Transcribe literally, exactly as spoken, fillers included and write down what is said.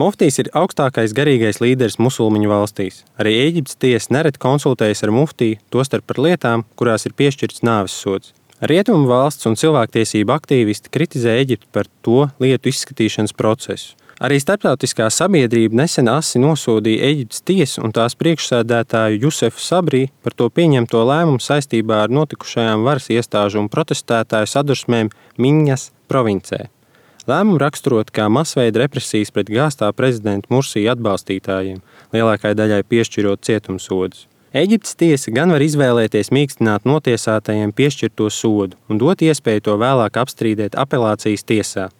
Muftijs ir augstākais garīgais līderis musulmaņu valstīs. Arī Ēģiptes tiesa nereti konsultējas ar muftiju, tostarp par lietām, kurās ir piešķirts nāves sods. Rietumu valsts un cilvēktiesību aktīvisti kritizē Ēģipti par to lietu izskatīšanas procesu. Arī starptautiskā sabiedrība nesen asi nosodīja Ēģiptes tiesu un tās priekšsēdētāju Jusefu Sabrī par to pieņemto lēmumu saistībā ar notikušajām varas iestāžu un protestētāju sadursmēm Miņas provincē. Lēmumu raksturot kā masveida represijas pret gāztā prezidenta Mursija atbalstītājiem, lielākai daļai piešķirot cietumsodus. Ēģiptes tiesa gan var izvēlēties mīkstināt notiesātajiem piešķirto sodu un dot iespēju to vēlāk apstrīdēt apelācijas tiesā.